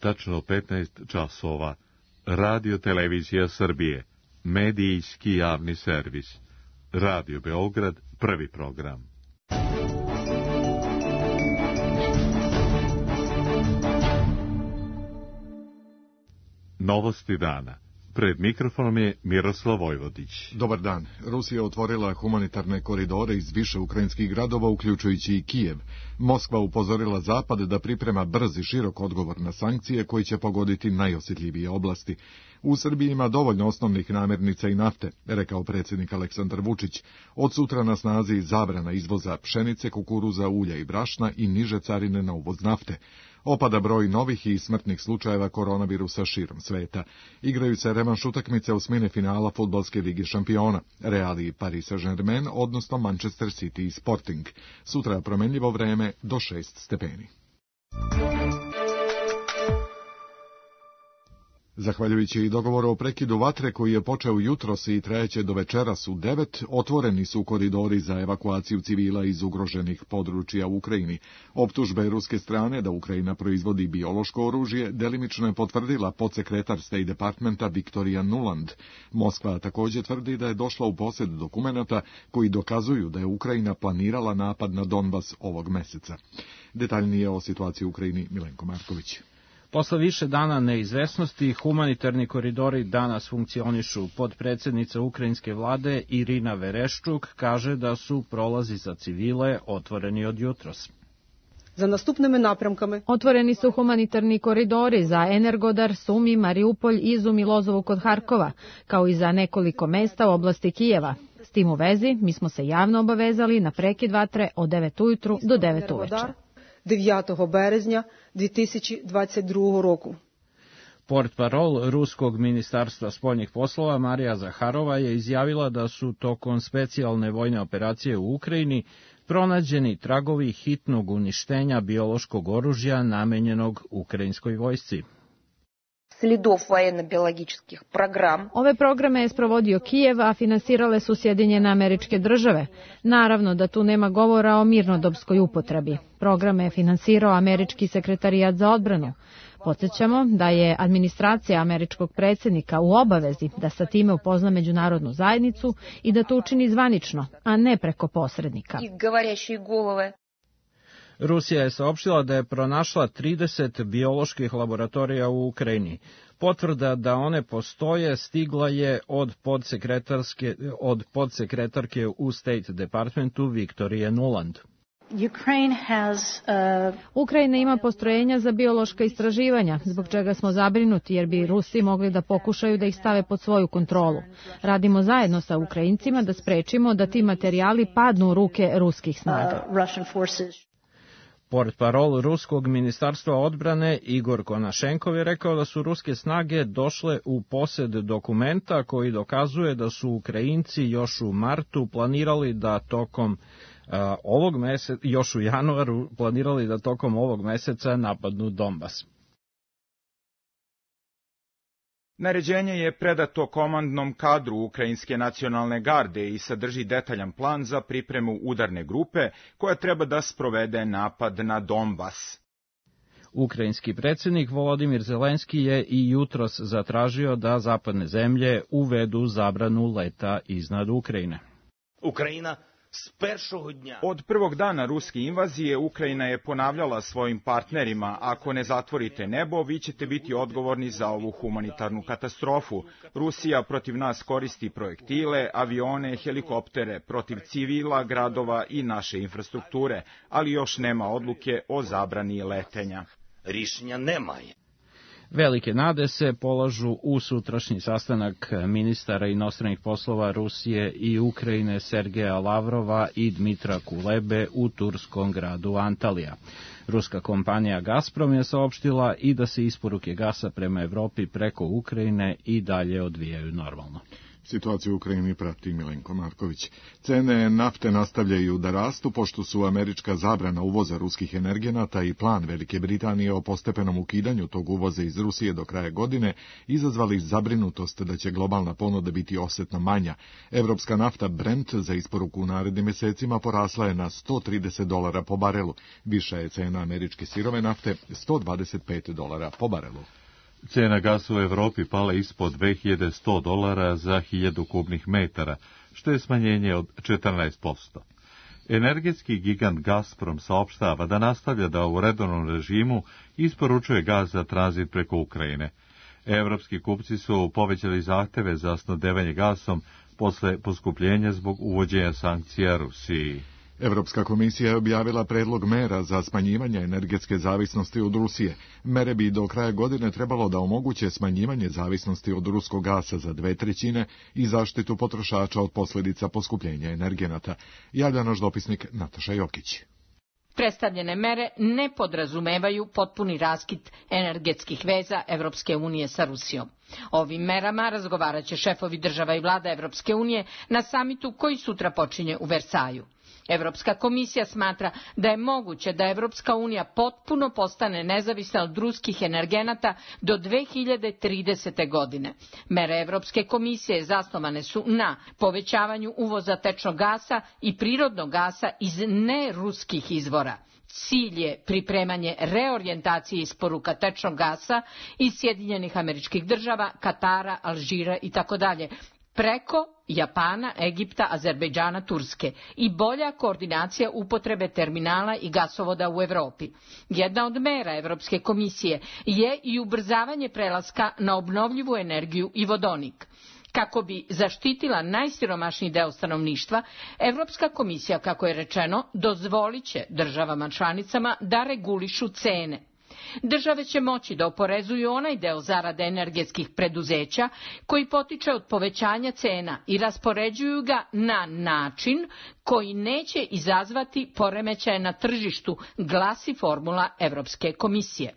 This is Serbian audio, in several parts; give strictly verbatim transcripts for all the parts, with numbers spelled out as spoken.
tačno petnaest časova. Radio Televizija Srbije, medijski javni servis. Radio Beograd, prvi program. Novosti dana. Pred mikrofonom je Miroslav Vojvodić. Dobar dan. Rusija otvorila humanitarne koridore iz više ukrajinskih gradova, uključujući i Kijev. Moskva upozorila Zapad da priprema brz i širok odgovor na sankcije koji će pogoditi najosjetljivije oblasti. U Srbiji ima dovoljno osnovnih namirnica i nafte, rekao predsjednik Aleksandar Vučić. Od sutra na snazi zabrana izvoza pšenice, kukuruza, ulja i brašna i niže carine na uvoz nafte. Opada broj novih i smrtnih slučajeva koronavirusa širom sveta. Igraju se revanš utakmice osmine finala fudbalske lige šampiona, Real i Paris Saint-Germain, odnosno Manchester City i Sporting. Sutra promenljivo vreme do šest stepeni. Zahvaljujući dogovoru o prekidu vatre koji je počeo jutros i trajeće do večeras u devet, otvoreni su koridori za evakuaciju civila iz ugroženih područja u Ukrajini. Optužbe ruske strane da Ukrajina proizvodi biološko oružje delimično je potvrdila podsekretar State Departmenta Victoria Nuland. Moskva također tvrdi da je došla u posjed dokumenata koji dokazuju da je Ukrajina planirala napad na Donbas ovog meseca. Detaljnije o situaciji u Ukrajini Milenko Marković. Posle više dana neizvesnosti, humanitarni koridori danas funkcionišu. Podpredsjednica ukrajinske vlade Irina Vereščuk kaže da su prolazi za civile otvoreni od jutros. Za nastupnими напрямками otvoreni su humanitarni koridori za Energodar, Sumi, Mariupolj, Izum i Lozovu kod Harkova, kao i za nekoliko mesta u oblasti Kijeva. S tim u vezi, mi smo se javno obavezali na prekid vatre od devet ujutru do devet uveče. дев'ятого березня дві тисячі двадцять другого року. Portparol Ruskog ministarstva spoljnih poslova Marija Zaharova je izjavila da su tokom specijalne vojne operacije u Ukrajini pronađeni tragovi hitnog uništenja biološkog oružja namenjenog ukrajinskoj vojsci. Ove programe je sprovodio Kijev, a finansirale su Sjedinjene Američke Države. Naravno da tu nema govora o mirnodopskoj upotrebi. Programe je finansirao Američki sekretarijat za odbranu. Podsjećamo da je administracija američkog predsjednika u obavezi da sa time upozna međunarodnu zajednicu i da to učini zvanično, a ne preko posrednika. Rusija je saopštila da je pronašla trideset bioloških laboratorija u Ukrajini. Potvrda da one postoje stigla je od podsekretarske, od podsekretarke u State Departmentu Victoria Nuland. Ukrajina ima postrojenja za biološka istraživanja, zbog čega smo zabrinuti jer bi Rusi mogli da pokušaju da ih stave pod svoju kontrolu. Radimo zajedno sa Ukrajincima da sprečimo da ti materijali padnu u ruke ruskih snaga. Portparol Ruskog ministarstva odbrane Igor Konašenkov je rekao da su ruske snage došle u posjed dokumenta koji dokazuje da su Ukrajinci još u martu planirali da tokom uh, ovog meseca, još u januaru planirali da tokom ovog meseca napadnu Donbas. Naređenje je predato komandnom kadru Ukrajinske nacionalne garde i sadrži detaljan plan za pripremu udarne grupe koja treba da sprovede napad na Donbas. Ukrajinski predsjednik Volodimir Zelenski je i jutros zatražio da zapadne zemlje uvedu zabranu leta iznad Ukrajine. Ukrajina Od prvog dana ruske invazije Ukrajina je ponavljala svojim partnerima: ako ne zatvorite nebo, vi ćete biti odgovorni za ovu humanitarnu katastrofu. Rusija protiv nas koristi projektile, avione, helikoptere, protiv civila, gradova i naše infrastrukture, ali još nema odluke o zabrani letenja. Rješenja nemaju. Velike nade se polažu u sutrašnji sastanak ministara inostranih poslova Rusije i Ukrajine Sergeja Lavrova i Dmitra Kulebe u turskom gradu Antalija. Ruska kompanija Gazprom je saopštila i da se isporuke gasa prema Evropi preko Ukrajine i dalje odvijaju normalno. Situaciju u Ukrajini prati Milenko Marković. Cene nafte nastavljaju da rastu, pošto su američka zabrana uvoza ruskih energenata i plan Velike Britanije o postepenom ukidanju tog uvoza iz Rusije do kraja godine izazvali zabrinutost da će globalna ponuda biti osetno manja. Evropska nafta Brent za isporuku u narednim mesecima porasla je na sto trideset dolara po barelu. Viša je cena američke sirove nafte sto dvadeset pet dolara po barelu. Cena gasa u Evropi pala ispod dve hiljade sto dolara za hiljadu kubnih metara, što je smanjenje od četrnaest posto. Energetski gigant Gazprom saopštava da nastavlja da u redovnom režimu isporučuje gas za tranzit preko Ukrajine. Evropski kupci su povećali zahteve za snabdevanje gasom posle poskupljenja zbog uvođenja sankcija Rusiji. Evropska komisija je objavila predlog mera za smanjivanje energetske zavisnosti od Rusije. Mere bi do kraja godine trebalo da omoguće smanjivanje zavisnosti od ruskog gasa za dve trećine i zaštitu potrošača od posljedica poskupljenja energenata. Javlja naš dopisnik Nataša Jokić. Predstavljene mere ne podrazumevaju potpuni raskid energetskih veza Evropske unije sa Rusijom. Ovim merama razgovarat će šefovi država i vlada Evropske unije na samitu koji sutra počinje u Versaju. Evropska komisija smatra da je moguće da Evropska unija potpuno postane nezavisna od ruskih energenata do dve hiljade tridesete. godine. Mere Evropske komisije zasnovane su na povećavanju uvoza tečnog gasa i prirodnog gasa iz neruskih izvora. Cilj je pripremanje reorijentacije isporuka tečnog gasa iz Sjedinjenih Američkih Država, Katara, Alžira i tako dalje, preko Japana, Egipta, Azerbejdžana, Turske i bolja koordinacija upotrebe terminala i gasovoda u Evropi. Jedna od mera Evropske komisije je i ubrzavanje prelaska na obnovljivu energiju i vodonik. Kako bi zaštitila najsiromašniji deo stanovništva, Evropska komisija, kako je rečeno, dozvolit će državama članicama da regulišu cene. Države će moći da oporezuju onaj deo zarade energetskih preduzeća koji potiče od povećanja cena i raspoređuju ga na način koji neće izazvati poremećaje na tržištu, glasi formula Evropske komisije.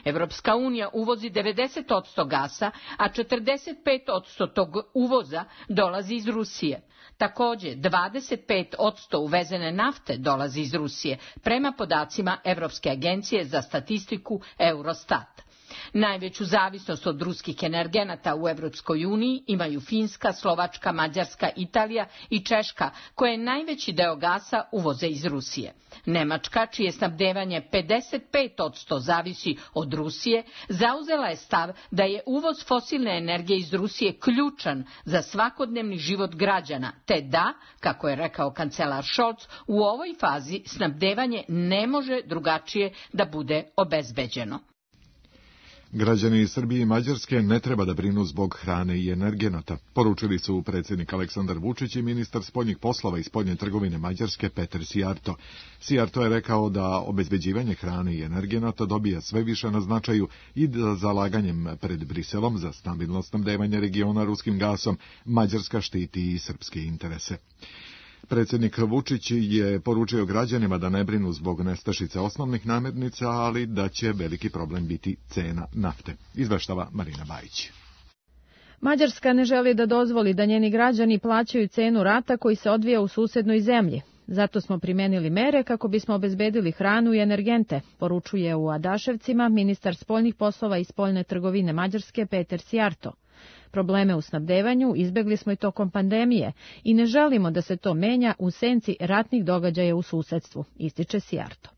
Evropska unija uvozi devedeset posto gasa, a četrdeset pet posto tog uvoza dolazi iz Rusije. Također, dvadeset pet posto uvezene nafte dolazi iz Rusije, prema podacima Evropske agencije za statistiku Eurostat. Najveću zavisnost od ruskih energenata u Evropskoj uniji imaju Finska, Slovačka, Mađarska, Italija i Češka, koje najveći deo gasa uvoze iz Rusije. Nemačka, čije snabdevanje pedeset pet posto zavisi od Rusije, zauzela je stav da je uvoz fosilne energije iz Rusije ključan za svakodnevni život građana, te da, kako je rekao kancelar Scholz, u ovoj fazi snabdevanje ne može drugačije da bude obezbeđeno. Građani Srbije i Mađarske ne treba da brinu zbog hrane i energenata, poručili su predsjednik Aleksandar Vučić i ministar spoljnih poslova i spoljne trgovine Mađarske Peter Sijarto. Sijarto je rekao da obezbeđivanje hrane i energenata dobija sve više na značaju i da zalaganjem pred Briselom za stabilno snabdevanje regiona ruskim gasom Mađarska štiti i srpske interese. Predsjednik Vučić je poručio građanima da ne brinu zbog nestašice osnovnih namirnica, ali da će veliki problem biti cena nafte. Izveštava Marina Bajić. Mađarska ne želi da dozvoli da njeni građani plaćaju cenu rata koji se odvija u susednoj zemlji. Zato smo primenili mere kako bismo obezbedili hranu i energente, poručuje u Adaševcima ministar spoljnih poslova i spoljne trgovine Mađarske Peter Sijarto. Probleme u snabdevanju izbegli smo i tokom pandemije i ne želimo da se to menja u senci ratnih događaja u susedstvu, ističe Sijarto.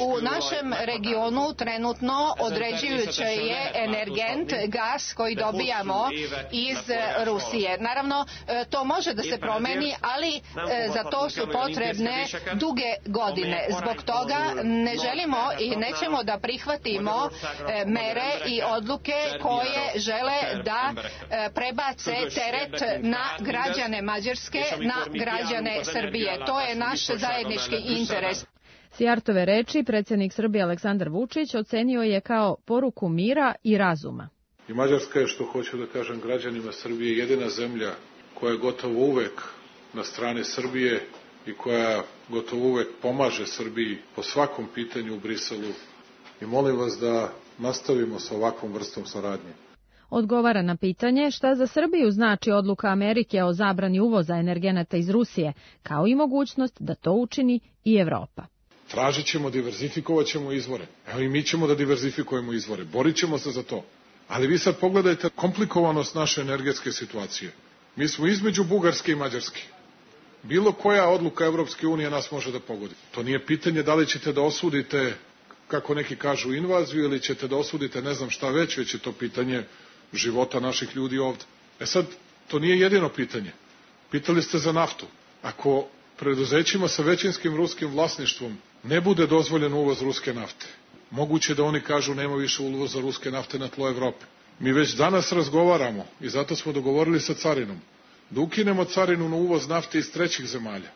U našem regionu trenutno određujuće je energent, gas koji dobijamo iz Rusije. Naravno, to može da se promeni, ali za to su potrebne duge godine. Zbog toga ne želimo i nećemo da prihvatimo mere i odluke koje žele da prebace teret na građane Mađarske, na građane Srbije. To je naš zajednički interes. Sijartove reči predsjednik Srbije Aleksandar Vučić ocenio je kao poruku mira i razuma. I Mađarska je, što hoću da kažem građanima Srbije, jedina zemlja koja je gotovo uvek na strani Srbije i koja gotovo uvek pomaže Srbiji po svakom pitanju u Briselu. I molim vas da nastavimo sa ovakvom vrstom saradnje. Odgovara na pitanje šta za Srbiju znači odluka Amerike o zabrani uvoza energenata iz Rusije, kao i mogućnost da to učini i Evropa. Tražit ćemo, diverzifikovat ćemo izvore. Evo i mi ćemo da diverzifikujemo izvore. Borit ćemo se za to. Ali vi sad pogledajte komplikovanost naše energetske situacije. Mi smo između Bugarske i Mađarske. Bilo koja odluka Evropske unije nas može da pogodi. To nije pitanje da li ćete da osudite, kako neki kažu, invaziju ili ćete da osudite ne znam šta već, već je to pitanje života naših ljudi ovde. E sad, to nije jedino pitanje. Pitali ste za naftu. Ako preduzećima sa većinskim ruskim vlasništvom ne bude dozvoljen uvoz ruske nafte, moguće da oni kažu nema više uvoza ruske nafte na tlo Evrope. Mi već danas razgovaramo i zato smo dogovorili sa carinom da ukinemo carinu na uvoz nafte iz trećih zemalja.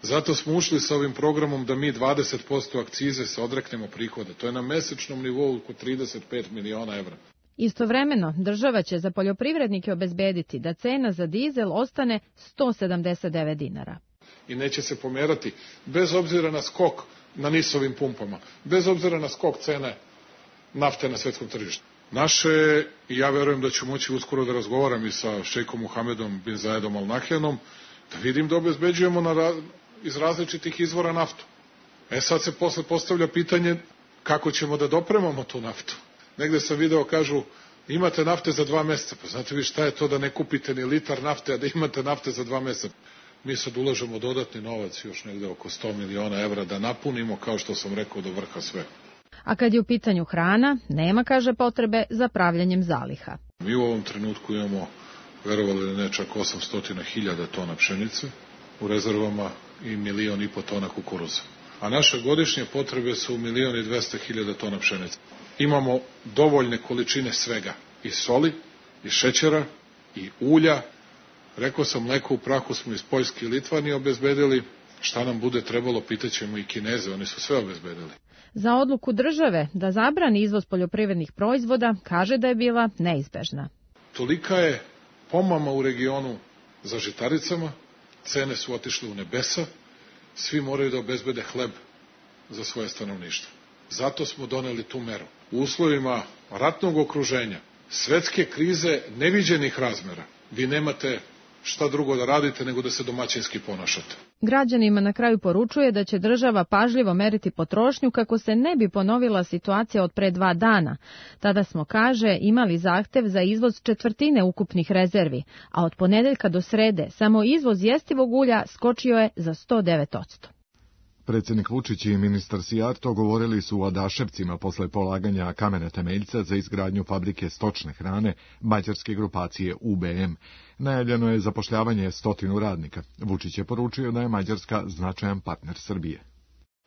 Zato smo ušli sa ovim programom da mi dvadeset posto akcize se odreknemo prihoda. To je na mesečnom nivou oko trideset pet miliona evra. Istovremeno, država će za poljoprivrednike obezbediti da cena za dizel ostane sto sedamdeset devet dinara. I neće se pomerati, bez obzira na skok na nisovim pumpama, bez obzira na skok cene nafte na svetskom tržištu. Naše, i ja verujem da ću moći uskoro da razgovaram i sa šejkom Muhamedom bin Zayedom Al Nahjanom, da vidim da obezbeđujemo na, iz različitih izvora naftu. E sad se posle postavlja pitanje kako ćemo da dopremamo tu naftu. Negde sam video, kažu, imate nafte za dva meseca. Pa znate vi šta je to da ne kupite ni litar nafte, a da imate nafte za dva meseca? Mi sad ulažemo dodatni novac, još negde oko sto miliona evra, da napunimo, kao što sam rekao, do vrha sve. A kad je u pitanju hrana, nema, kaže, potrebe za pravljanjem zaliha. Mi u ovom trenutku imamo, verovali ili ne, čak osamsto hiljada tona pšenice u rezervama i milion i po tona kukuruza. A naše godišnje potrebe su milion i dvesta hiljada tona pšenice. Imamo dovoljne količine svega, i soli, i šećera, i ulja. Rekao sam, mleko u prahu smo iz Poljske i Litvanije obezbedili. Šta nam bude trebalo, pitaćemo i Kineze, oni su sve obezbedili. Za odluku države da zabrani izvoz poljoprivrednih proizvoda kaže da je bila neizbežna. Tolika je pomama u regionu za žitaricama, cene su otišle u nebesa, svi moraju da obezbede hleb za svoje stanovništvo. Zato smo doneli tu meru. U uslovima ratnog okruženja, svetske krize neviđenih razmera, vi nemate šta drugo da radite nego da se domaćinski ponašate. Građanima na kraju poručuje da će država pažljivo meriti potrošnju kako se ne bi ponovila situacija od pre dva dana. Tada smo, kaže, imali zahtev za izvoz četvrtine ukupnih rezervi, a od ponedeljka do srede samo izvoz jestivog ulja skočio je za sto devet posto. Predsjednik Vučić i ministar Sijarto govorili su u Adaševcima posle polaganja kamena temeljca za izgradnju fabrike stočne hrane mađarske grupacije U B M. Najavljeno je zapošljavanje stotinu radnika. Vučić je poručio da je Mađarska značajan partner Srbije.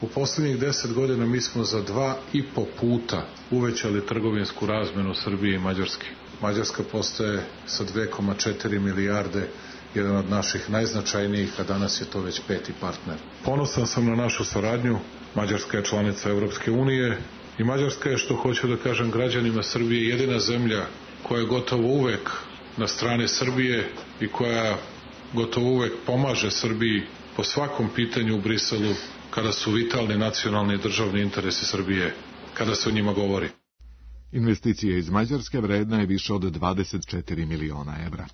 U posljednjih deset godina mi smo za dva i po puta uvećali trgovinsku razmenu Srbije i Mađarske. Mađarska postaje sa dve zarez četiri milijarde jedan od naših najznačajnijih, a danas je to već peti partner. Ponosan sam na našu saradnju. Mađarska je članica Evropske unije i Mađarska je, što hoću da kažem građanima Srbije, jedina zemlja koja je gotovo uvek na strani Srbije i koja gotovo uvek pomaže Srbiji po svakom pitanju u Briselu kada su vitalni nacionalni i državni interesi Srbije, kada se o njima govori. Investicije iz Mađarske vredna je više od dvadeset četiri miliona evra.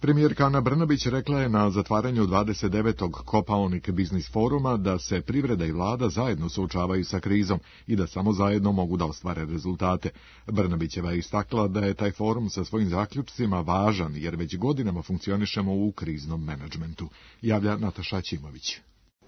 Premijerka Ana Brnabić rekla je na zatvaranju dvadeset devetog Kopaonik biznis foruma da se privreda i vlada zajedno suočavaju sa krizom i da samo zajedno mogu da ostvare rezultate. Brnabićeva je istakla da je taj forum sa svojim zaključcima važan jer već godinama funkcionišemo u kriznom menadžmentu. Javlja Nataša Ćimović.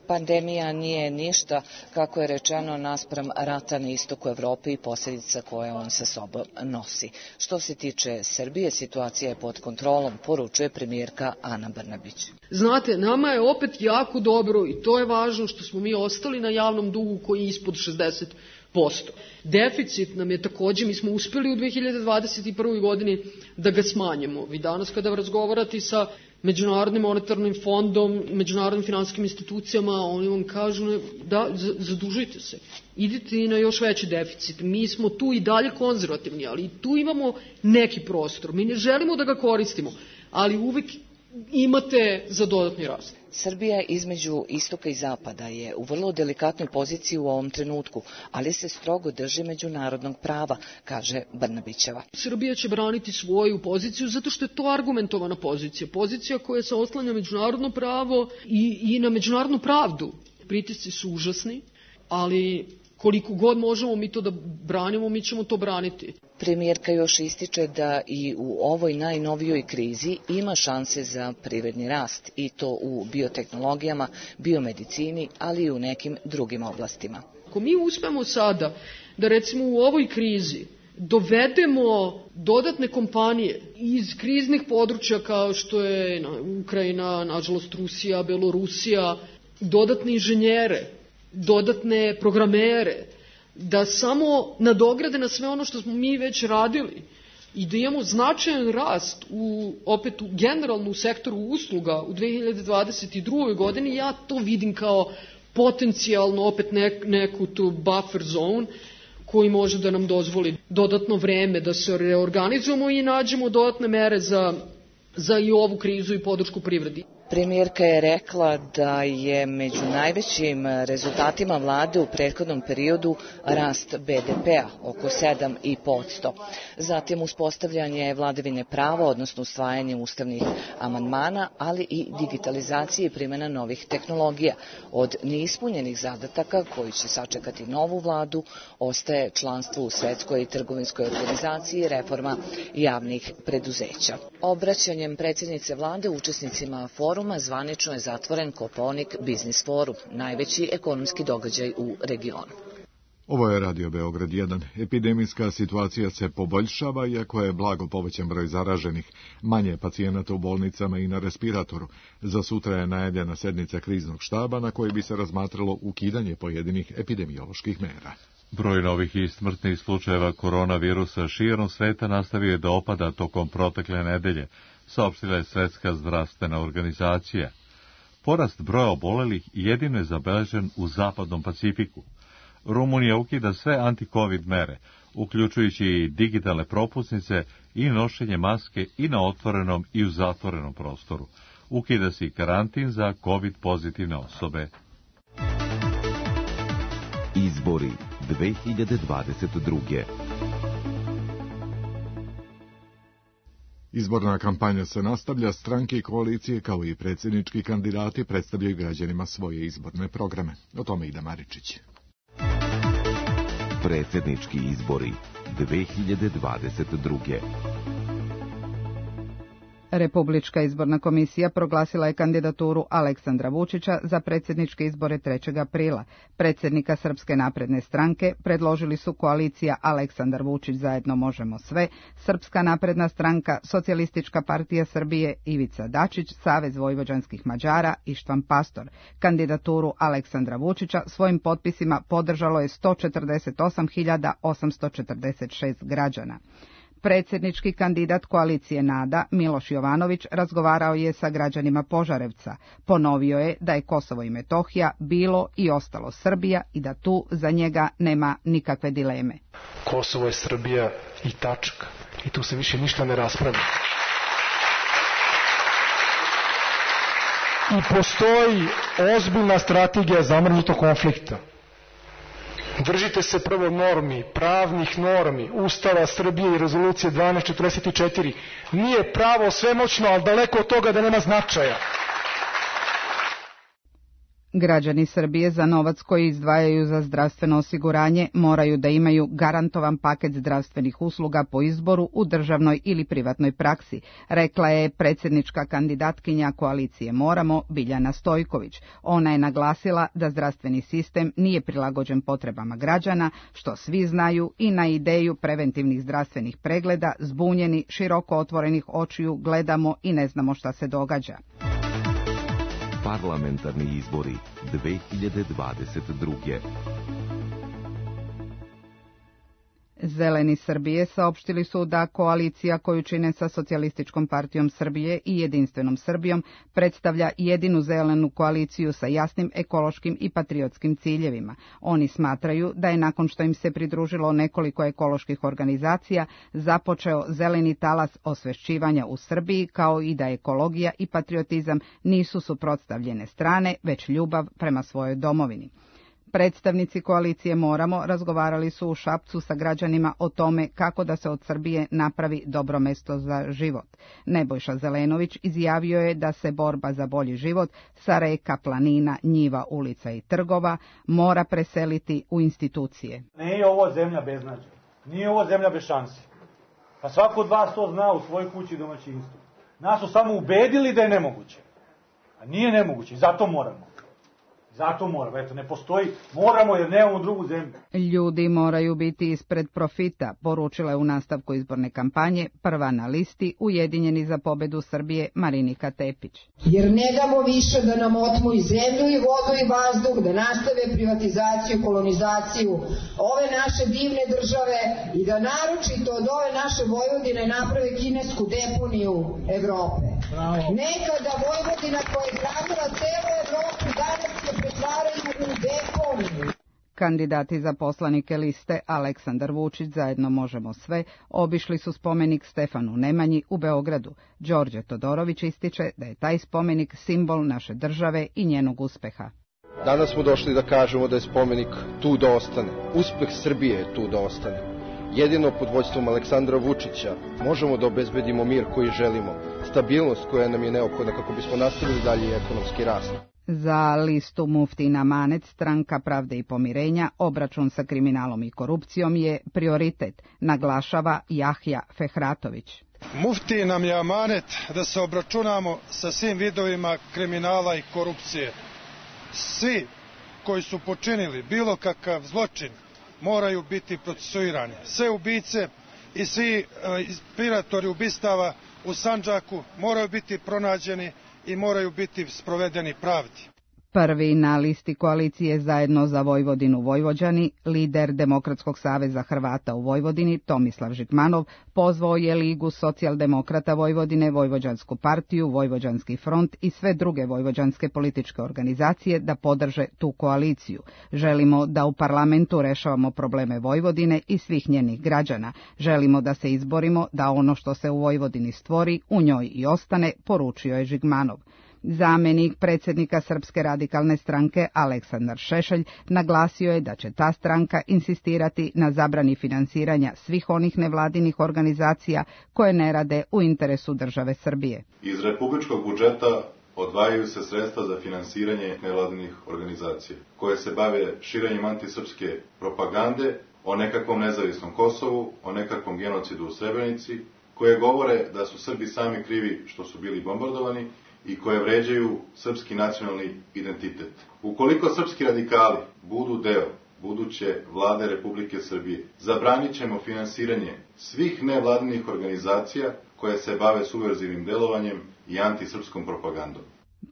Pandemija nije ništa, kako je rečeno, naspram rata na istoku Evrope i posljedica koje on sa sobom nosi. Što se tiče Srbije, situacija je pod kontrolom, poručuje premijerka Ana Brnabić. Znate, nama je opet jako dobro i to je važno što smo mi ostali na javnom dugu koji je ispod šezdeset posto. Deficit nam je također, mi smo uspjeli u dve hiljade dvadeset prve. godini da ga smanjimo. Vi danas kada razgovarate sa Međunarodnim monetarnim fondom, međunarodnim finansijskim institucijama, oni vam kažu da zadužite se, idite i na još veći deficit. Mi smo tu i dalje konzervativni, ali tu imamo neki prostor. Mi ne želimo da ga koristimo, ali uvijek imate za dodatni rast. Srbija između istoka i zapada je u vrlo delikatnoj poziciji u ovom trenutku, ali se strogo drži međunarodnog prava, kaže Brnabićeva. Srbija će braniti svoju poziciju zato što je to argumentovana pozicija. Pozicija koja se oslanja međunarodno pravo i, i na međunarodnu pravdu. Pritisci su užasni, ali koliko god možemo mi to da branimo, mi ćemo to braniti. Premijerka još ističe da i u ovoj najnovijoj krizi ima šanse za privredni rast, i to u biotehnologijama, biomedicini, ali i u nekim drugim oblastima. Ako mi uspemo sada da recimo u ovoj krizi dovedemo dodatne kompanije iz kriznih područja kao što je Ukrajina, nažalost Rusija, Belorusija, dodatne inženjere, dodatne programere, da samo nadograde na sve ono što smo mi već radili i da imamo značajan rast u, opet u generalno u sektoru usluga u dve hiljade dvadeset drugoj godini, ja to vidim kao potencijalno opet nek, neku tu buffer zone koji može da nam dozvoli dodatno vreme da se reorganizujemo i nađemo dodatne mere za, za i ovu krizu i podršku privredi. Premijerka je rekla da je među najvećim rezultatima vlade u prethodnom periodu rast be de pea oko sedam i po posto. Zatim uspostavljanje vladavine prava, odnosno usvajanje ustavnih amandmana, ali i digitalizacije i primjena novih tehnologija. Od neispunjenih zadataka koji će sačekati novu vladu ostaje članstvo u Svetskoj trgovinskoj organizaciji i reforma javnih preduzeća. Obraćanjem predsjednice vlade učesnicima foruma zvanično je zatvoren Kopaonik Biznis forum, najveći ekonomski događaj u regionu. Ovo je Radio Beograd jedan. Epidemijska situacija se poboljšava, iako je blago povećan broj zaraženih, manje pacijenata u bolnicama i na respiratoru. Za sutra je najavljena sednica kriznog štaba na kojoj bi se razmatralo ukidanje pojedinih epidemioloških mera. Broj novih i smrtnih slučajeva koronavirusa širom sveta nastavio je da opada tokom protekle nedelje, saopštila je Svetska zdravstvena organizacija. Porast broja obolelih jedino je zabeležen u zapadnom Pacifiku. Rumunija ukida sve anti-covid mere, uključujući i digitalne propusnice i nošenje maske i na otvorenom i u zatvorenom prostoru. Ukida se i karantin za covid pozitivne osobe. Izbori dve hiljade dvadeset druge. Izborna kampanja se nastavlja, stranke i koalicije kao i predsjednički kandidati predstavljaju građanima svoje izborne programe. O tome Ida Maričić. Predsjednički izbori dve hiljade dvadeset druge. Republička izborna komisija proglasila je kandidaturu Aleksandra Vučića za predsjedničke izbore trećeg aprila. Predsjednika Srpske napredne stranke predložili su koalicija Aleksandar Vučić zajedno možemo sve, Srpska napredna stranka, Socijalistička partija Srbije, Ivica Dačić, Savez vojvođanskih Mađara i Štvan Pastor. Kandidaturu Aleksandra Vučića svojim potpisima podržalo je sto četrdeset osam hiljada osamsto četrdeset šest građana. Predsjednički kandidat koalicije NADA, Miloš Jovanović, razgovarao je sa građanima Požarevca. Ponovio je da je Kosovo i Metohija bilo i ostalo Srbija i da tu za njega nema nikakve dileme. Kosovo je Srbija i tačka. I tu se više ništa ne raspravlja. I postoji ozbiljna strategija zamrznutog konflikta. Držite se prvo normi, pravnih normi, Ustava Srbije i rezolucije dvanaest četrdeset četiri. Nije pravo svemoćno, ali daleko od toga da nema značaja. Građani Srbije za novac koji izdvajaju za zdravstveno osiguranje moraju da imaju garantovan paket zdravstvenih usluga po izboru u državnoj ili privatnoj praksi, rekla je predsjednička kandidatkinja koalicije Moramo, Biljana Stojković. Ona je naglasila da zdravstveni sistem nije prilagođen potrebama građana, što svi znaju, i na ideju preventivnih zdravstvenih pregleda zbunjeni, široko otvorenih očiju gledamo i ne znamo šta se događa. Parlamentarni izbori dve hiljade dvadeset druge. Zeleni Srbije saopštili su da koalicija koju čine sa Socijalističkom partijom Srbije i Jedinstvenom Srbijom predstavlja jedinu zelenu koaliciju sa jasnim ekološkim i patriotskim ciljevima. Oni smatraju da je nakon što im se pridružilo nekoliko ekoloških organizacija započeo zeleni talas osvešćivanja u Srbiji, kao i da ekologija i patriotizam nisu suprotstavljene strane, već ljubav prema svojoj domovini. Predstavnici koalicije Moramo razgovarali su u Šapcu sa građanima o tome kako da se od Srbije napravi dobro mesto za život. Nebojša Zelenović izjavio je da se borba za bolji život sa reka, planina, njiva, ulica i trgova mora preseliti u institucije. Nije ovo zemlja beznađa, nije ovo zemlja bez šanse. Pa svako od vas to zna u svojoj kući i domaćinstvu. Nas su samo ubedili da je nemoguće. A nije nemoguće i zato moramo. Zato moramo, eto, ne postoji, moramo jer nemamo drugu zemlju. Ljudi moraju biti ispred profita, poručila je u nastavku izborne kampanje prva na listi Ujedinjeni za pobedu Srbije Marinika Tepić. Jer ne damo više da nam otmu i zemlju i vodu i vazduh, da nastave privatizaciju, kolonizaciju ove naše divne države i da naročito od ove naše Vojvodine naprave kinesku deponiju Evrope. Bravo. Nekada Vojvodina koja je gradila celu Evropu danas je pretvaraju u deponiju. Kandidati za poslanike liste Aleksandar Vučić, Zajedno možemo sve, obišli su spomenik Stefanu Nemanji u Beogradu. Đorđe Todorović ističe da je taj spomenik simbol naše države i njenog uspeha. Danas smo došli da kažemo da je spomenik tu da ostane. Uspeh Srbije je tu da ostane. Jedino pod vođstvom Aleksandra Vučića možemo da obezbedimo mir koji želimo, stabilnost koja nam je neophodna kako bismo nastavili dalje ekonomski rast. Za listu Muftin Amanet, Stranka pravde i pomirenja, obračun sa kriminalom i korupcijom je prioritet, naglašava Jahja Fehratović. Mufti nam je amanet da se obračunamo sa svim vidovima kriminala i korupcije. Svi koji su počinili bilo kakav zločin moraju biti procesuirani. Sve ubice i svi inspiratori ubistava u Sandžaku moraju biti pronađeni i moraju biti sprovedeni pravdi. Prvi na listi koalicije Zajedno za Vojvodinu Vojvođani, lider Demokratskog saveza Hrvata u Vojvodini Tomislav Žigmanov pozvao je Ligu socijaldemokrata Vojvodine, Vojvođansku partiju, Vojvođanski front i sve druge vojvođanske političke organizacije da podrže tu koaliciju. Želimo da u parlamentu rešavamo probleme Vojvodine i svih njenih građana. Želimo da se izborimo da ono što se u Vojvodini stvori u njoj i ostane, poručio je Žigmanov. Zamenik predsjednika Srpske radikalne stranke Aleksandar Šešelj naglasio je da će ta stranka insistirati na zabrani finansiranja svih onih nevladinih organizacija koje ne rade u interesu države Srbije. Iz republičkog budžeta odvajaju se sredstva za finansiranje nevladinih organizacija koje se bave širenjem antisrpske propagande o nekakvom nezavisnom Kosovu, o nekakvom genocidu u Srebrenici, koje govore da su Srbi sami krivi što su bili bombardovani i koje vređaju srpski nacionalni identitet. Ukoliko srpski radikali budu deo buduće vlade Republike Srbije, zabranit ćemo finansiranje svih nevladinih organizacija koje se bave subverzivnim delovanjem i antisrpskom propagandom.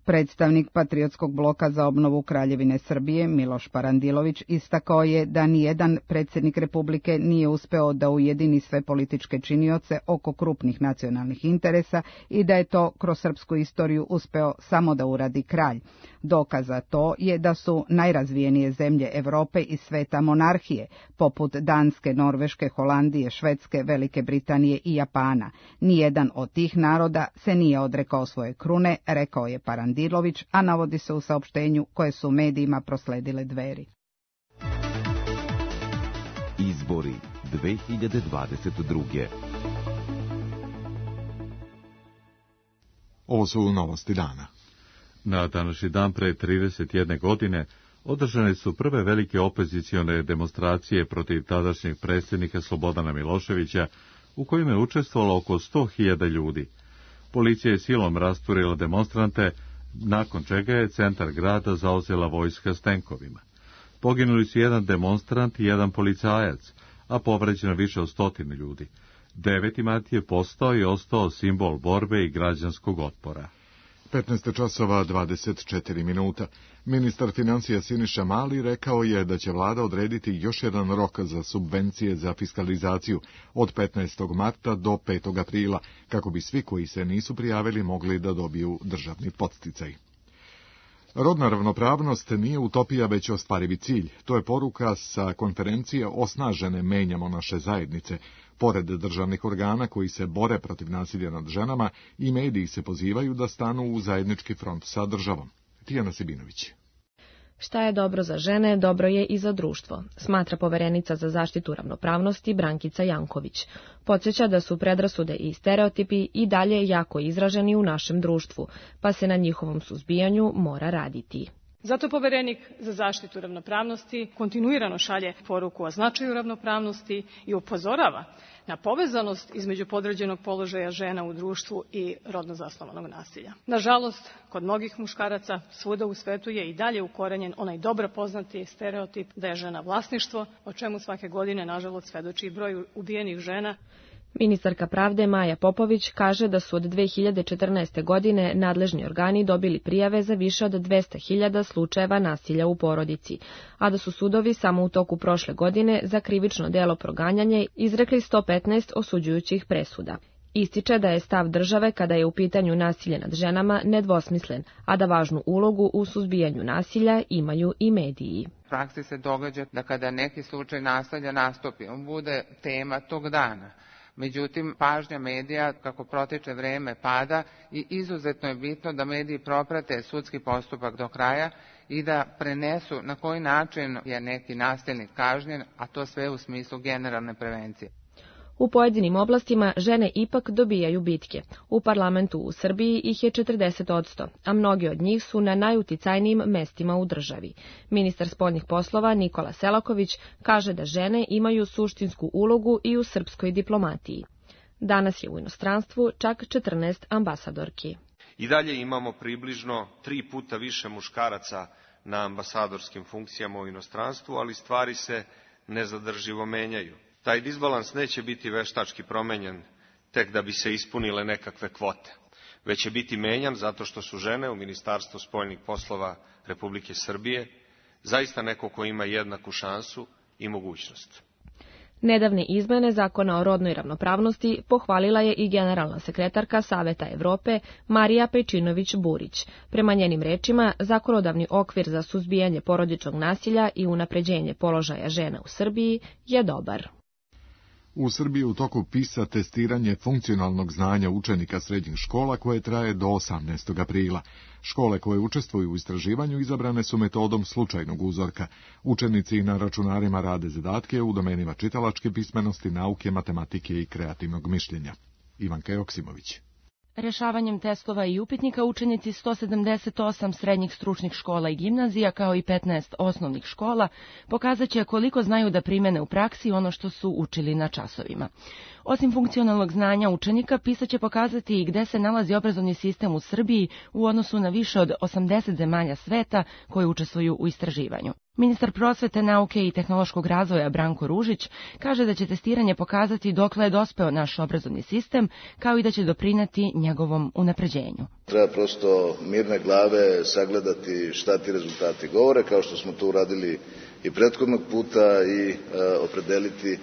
Predstavnik Patriotskog bloka za obnovu Kraljevine Srbije Miloš Parandilović istakao je da nijedan predsjednik Republike nije uspeo da ujedini sve političke činioce oko krupnih nacionalnih interesa i da je to kroz srpsku istoriju uspeo samo da uradi kralj. Dokaz za to je da su najrazvijenije zemlje Evrope i sveta monarhije, poput Danske, Norveške, Holandije, Švedske, Velike Britanije i Japana. Nijedan od tih naroda se nije odrekao svoje krune, rekao je Parandilović, a navodi se u saopštenju koje su medijima prosledile Dveri. Izbori dve hiljade dvadeset druge. Ovo su novosti dana. Na današnji dan pre trideset jedne godine održane su prve velike opozicione demonstracije protiv tadašnjeg predsjednika Slobodana Miloševića, u kojima je učestvovalo oko sto hiljada ljudi. Policija je silom rasturila demonstrante, nakon čega je centar grada zauzela vojska s tenkovima. Poginuli su jedan demonstrant i jedan policajac, a povređeno više od stotine ljudi. Deveti mart je postao i ostao simbol borbe i građanskog otpora. petnaest časova dvadeset četiri minuta. Ministar financija Siniša Mali rekao je da će vlada odrediti još jedan rok za subvencije za fiskalizaciju od petnaestog marta do petog aprila, kako bi svi koji se nisu prijavili mogli da dobiju državni podsticaj. Rodna ravnopravnost nije utopija, već ostvarivi cilj. To je poruka sa konferencije Osnažene menjamo naše zajednice. Pored državnih organa koji se bore protiv nasilja nad ženama, i mediji se pozivaju da stanu u zajednički front sa državom. Tijana Sibinović. Šta je dobro za žene, dobro je i za društvo, smatra poverenica za zaštitu ravnopravnosti Brankica Janković. Podsjeća da su predrasude i stereotipi i dalje jako izraženi u našem društvu, pa se na njihovom suzbijanju mora raditi. Zato poverenik za zaštitu ravnopravnosti kontinuirano šalje poruku o značaju ravnopravnosti i upozorava na povezanost između podređenog položaja žena u društvu i rodno zasnovanog nasilja. Nažalost, kod mnogih muškaraca svuda u svetu je i dalje ukorenjen onaj dobro poznati stereotip da je žena vlasništvo, o čemu svake godine, nažalost, svedoči broj ubijenih žena. Ministarka pravde Maja Popović kaže da su od dve hiljade četrnaeste. godine nadležni organi dobili prijave za više od dvesta hiljada slučajeva nasilja u porodici, a da su sudovi samo u toku prošle godine za krivično delo proganjanje izrekli sto petnaest osuđujućih presuda. Ističe da je stav države kada je u pitanju nasilje nad ženama nedvosmislen, a da važnu ulogu u suzbijanju nasilja imaju i mediji. U praksi se događa da kada neki slučaj nasilja nastupi, on bude tema tog dana. Međutim, pažnja medija, kako protiče vreme, pada i izuzetno je bitno da mediji proprate sudski postupak do kraja i da prenesu na koji način je neki nasilnik kažnjen, a to sve u smislu generalne prevencije. U pojedinim oblastima žene ipak dobijaju bitke. U parlamentu u Srbiji ih je četrdeset odsto, a mnogi od njih su na najuticajnijim mestima u državi. Ministar spoljnih poslova Nikola Selaković kaže da žene imaju suštinsku ulogu i u srpskoj diplomatiji. Danas je u inostranstvu čak četrnaest ambasadorki. I dalje imamo približno tri puta više muškaraca na ambasadorskim funkcijama u inostranstvu, ali stvari se nezadrživo menjaju. Taj disbalans neće biti veštački promenjen tek da bi se ispunile nekakve kvote, već će biti menjan zato što su žene u Ministarstvu spoljnih poslova Republike Srbije zaista neko ko ima jednaku šansu i mogućnost. Nedavne izmene Zakona o rodnoj ravnopravnosti pohvalila je i generalna sekretarka Saveta Evrope Marija Pejčinović-Burić. Prema njenim rečima, zakonodavni okvir za suzbijanje porodičnog nasilja i unapređenje položaja žena u Srbiji je dobar. U Srbiji u toku PISA testiranje funkcionalnog znanja učenika srednjih škola koje traje do osamnaestog aprila. Škole koje učestvuju u istraživanju izabrane su metodom slučajnog uzorka. Učenici na računarima rade zadatke u domenima čitalačke pismenosti, nauke, matematike i kreativnog mišljenja. Ivanka Joksimović. Rešavanjem testova i upitnika učenici sto sedamdeset osam srednjih stručnih škola i gimnazija kao i petnaest osnovnih škola pokazat će koliko znaju da primene u praksi ono što su učili na časovima. Osim funkcionalnog znanja učenika, PISA će pokazati i gde se nalazi obrazovni sistem u Srbiji u odnosu na više od osamdeset zemalja sveta koji učestvuju u istraživanju. Ministar prosvete, nauke i tehnološkog razvoja Branko Ružić kaže da će testiranje pokazati dokle je dospeo naš obrazovni sistem, kao i da će doprineti njegovom unapređenju. Treba prosto mirne glave sagledati šta ti rezultati govore, kao što smo to uradili i prethodnog puta, i a, opredeliti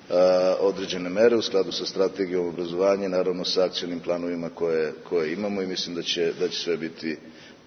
a, određene mere u skladu sa strategijom obrazovanja, naravno sa akcionim planovima koje, koje imamo, i mislim da će, da će sve biti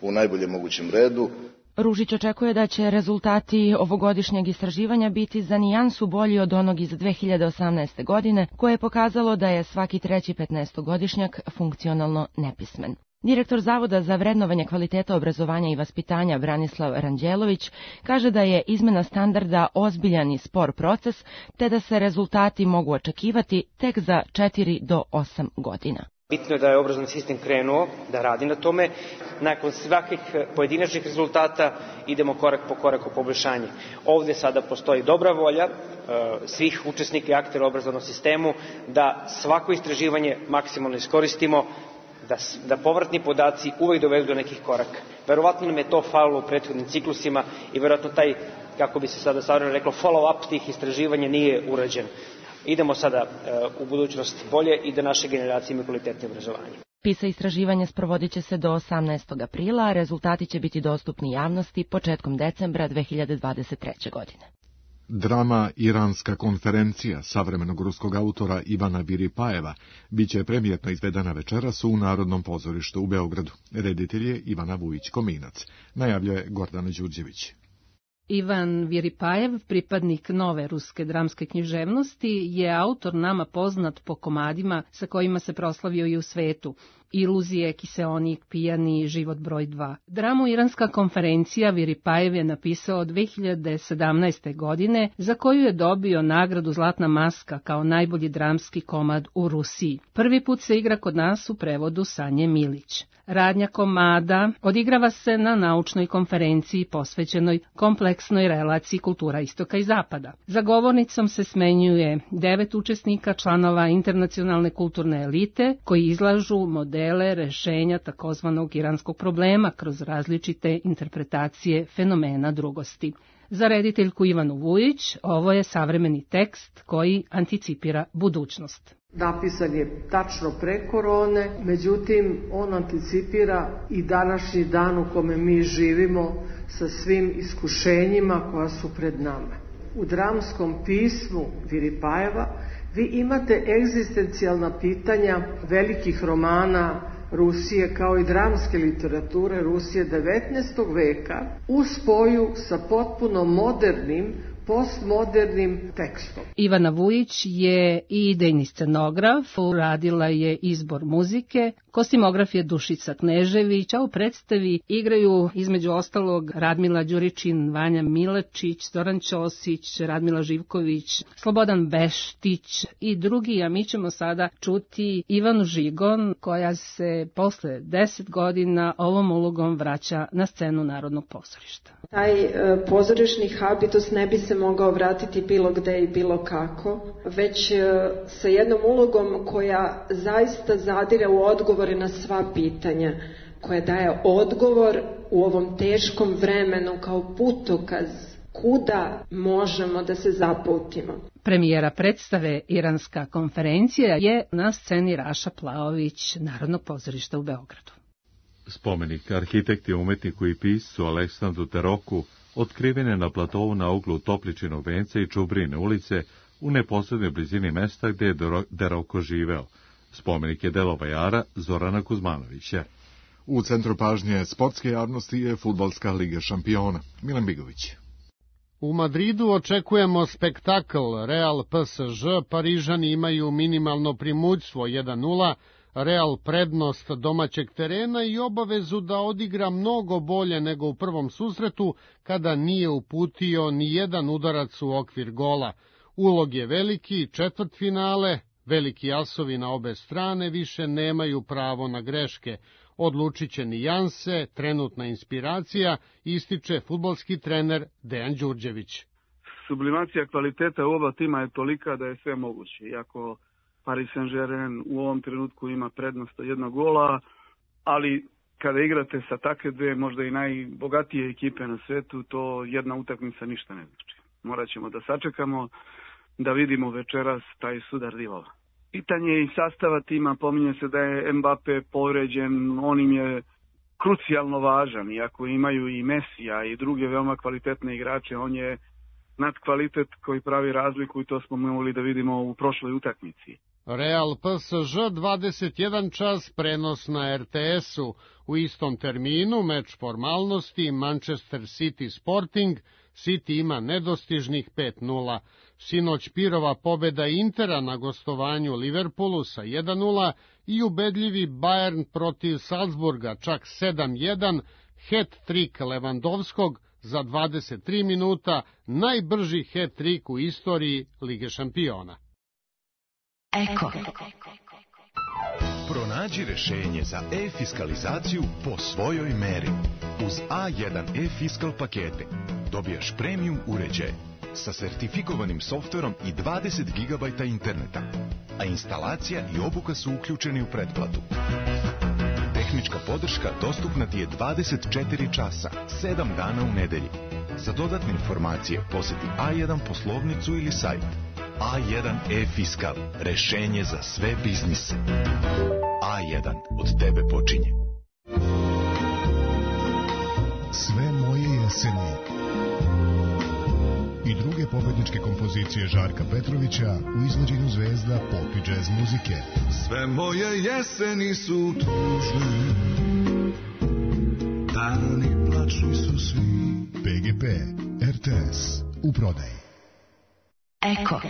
u najboljem mogućem redu. Ružić očekuje da će rezultati ovogodišnjeg istraživanja biti za nijansu bolji od onog iz dve hiljade osamnaeste. godine, koje je pokazalo da je svaki treći petnaestogodišnjak funkcionalno nepismen. Direktor Zavoda za vrednovanje kvaliteta obrazovanja i vaspitanja Branislav Ranđelović kaže da je izmena standarda ozbiljan i spor proces, te da se rezultati mogu očekivati tek za četiri do osam godina. Bitno je da je obrazovni sistem krenuo da radi na tome. Nakon svakih pojedinačnih rezultata idemo korak po korak u poboljšanje. Ovde sada postoji dobra volja svih učesnika i aktera u obrazovnom sistemu da svako istraživanje maksimalno iskoristimo, da, da povratni podaci uvek dovedu do nekih koraka. Verovatno nam je to falilo u prethodnim ciklusima i verovatno taj, kako bi se sada savremen reklo, follow-up tih istraživanja nije urađen. Idemo sada uh, u budućnost bolje i da naše generacije imaju kvalitetno obrazovanje. PISA istraživanje sprovodit će se do osamnaestog aprila, a rezultati će biti dostupni javnosti početkom decembra dve hiljade dvadeset treće. godine. Drama Iranska konferencija savremenog ruskog autora Ivana Viripajeva biće premijetno izvedena večeras u Narodnom pozorištu u Beogradu. Reditelj je Ivana Vujić-Kominac, najavljuje Gordana Đurđević. Ivan Viripajev, pripadnik nove ruske dramske književnosti, je autor nama poznat po komadima sa kojima se proslavio i u svetu. Iluzije, Kiseonik, Pijani, Život broj dva. Dramu Iranska konferencija Viripajev je napisao dve hiljade sedamnaeste. godine, za koju je dobio nagradu Zlatna maska kao najbolji dramski komad u Rusiji. Prvi put se igra kod nas u prevodu Sanje Milić. Radnja komada odigrava se na naučnoj konferenciji posvećenoj kompleksnoj relaciji kultura istoka i zapada. Za govornicom se smenjuje devet učesnika, članova internacionalne kulturne elite, koji izlažu modele rešenja takozvanog iranskog problema kroz različite interpretacije fenomena drugosti. Za rediteljku Ivanu Vujić ovo je savremeni tekst koji anticipira budućnost. Napisan je tačno pre korone, međutim on anticipira i današnji dan u kome mi živimo sa svim iskušenjima koja su pred nama. U dramskom pismu Viripajeva vi imate egzistencijalna pitanja velikih romana Rusije kao i dramske literature Rusije devetnaestog veka u spoju sa potpuno modernim, postmodernim tekstom. Ivana Vujić je i idejni scenograf, uradila je izbor muzike, kostimograf je Dušica Knežević, a u predstavi igraju između ostalog Radmila Đuričin, Vanja Milačić, Zoran Ćosić, Radmila Živković, Slobodan Beštić i drugi, a mi ćemo sada čuti Ivanu Žigon, koja se posle deset godina ovom ulogom vraća na scenu Narodnog pozorišta. Taj e, pozorišni habitus ne bi se mogao vratiti bilo gde i bilo kako, već e, sa jednom ulogom koja zaista zadire u odgovore na sva pitanja, koja daje odgovor u ovom teškom vremenu kao putokaz kuda možemo da se zapautimo. Premijera predstave Iranska konferencija je na sceni Raša Plaović Narodnog pozorišta u Beogradu. Spomenik arhitekti, umetniku i piscu Aleksandru Teroku otkriven je na platovu na uglu Topličinog venca i Čubrine ulice u neposrednoj blizini mesta gde je Deroko živeo. Spomenik je delo vajara Zorana Kuzmanovića. U centru pažnje sportske javnosti je Fudbalska liga šampiona. Milan Bigović. U Madridu očekujemo spektakl. Real P S Ž, Parižani imaju minimalno primućstvo jedan nula, Real prednost domaćeg terena i obavezu da odigra mnogo bolje nego u prvom susretu, kada nije uputio ni jedan udarac u okvir gola. Ulog je veliki, četvrtfinale, veliki asovi na obe strane više nemaju pravo na greške. Odlučit će nijanse, trenutna inspiracija, ističe fudbalski trener Dejan Đurđević. Sublimacija kvaliteta u oba tima je tolika da je sve moguće. Iako Paris Saint-Germain u ovom trenutku ima prednost od jednog gola, ali kada igrate sa takve dve možda i najbogatije ekipe na svetu, to jedna utakmica ništa ne znači. Morat ćemo da sačekamo, da vidimo večeras taj sudar divova. Pitanje je i sastava tima, pominje se da je Mbappe povređen, on im je krucijalno važan, iako imaju i Mesija i druge veoma kvalitetne igrače, on je nad kvalitet koji pravi razliku i to smo mogli da vidimo u prošloj utakmici. Real P S Ž dvadeset jedan čas, prenos na R T S-u. U istom terminu meč formalnosti Manchester City Sporting. City ima nedostižnih pet nula. Sinoć pirova pobeda Intera na gostovanju Liverpoolu sa jedan nula i ubedljivi Bayern protiv Salzburga čak sedam jedan, hat-trik Levandovskog za dvadeset tri minuta, najbrži hat-trik u istoriji Lige šampiona. Eko. Pronađi rešenje za e-fiskalizaciju po svojoj meri. Uz A jedan e-fiskal pakete dobijaš premium uređaj sa sertifikovanim softverom i dvadeset gigabajta interneta, a instalacija i obuka su uključeni u pretplatu. Tehnička podrška dostupna ti je dvadeset četiri časa, sedam dana u nedelji. Za dodatne informacije poseti A jedan poslovnicu ili sajt. A jedan e-fiskal, rešenje za sve biznise. A jedan od tebe počinje. Sve moje jeseni i druge pobedničke kompozicije Žarka Petrovića u izvođenju zvezda pop i džez muzike. Sve moje jeseni su tužne, dani plaču su svi. P G P, R T S, u prodaji. Eko.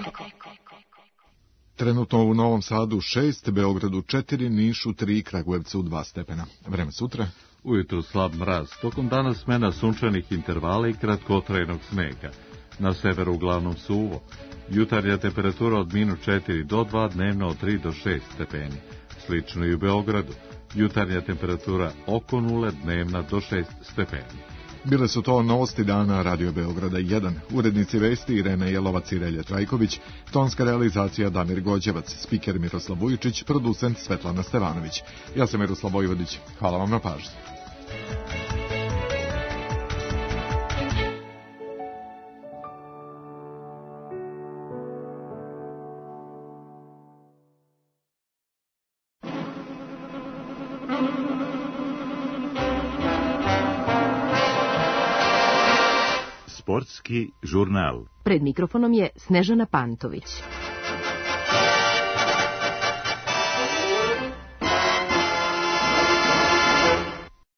Trenutno u Novom Sadu šest, Beogradu četiri, Nišu tri, Kragujevcu dva stepena. Vreme sutra. Ujutru slab mraz, tokom dana smena sunčanih intervala i kratkotrajnog snega. Na severu uglavnom suvo. Jutarnja temperatura od minus četiri do dva, dnevno od tri do šest stepeni. Slično i u Beogradu. Jutarnja temperatura oko nule, dnevna do šest stepeni. Bile su to novosti dana Radio Beograda jedan. Urednici vesti Irena Jelovac i Relje Trajković, tonska realizacija Damir Gođevac, spiker Miroslav Vujičić, producent Svetlana Stevanović. Ja sam Miroslav Vojvodić. Hvala vam na pažnji. Sportski žurnal. Pred mikrofonom je Snežana Pantović.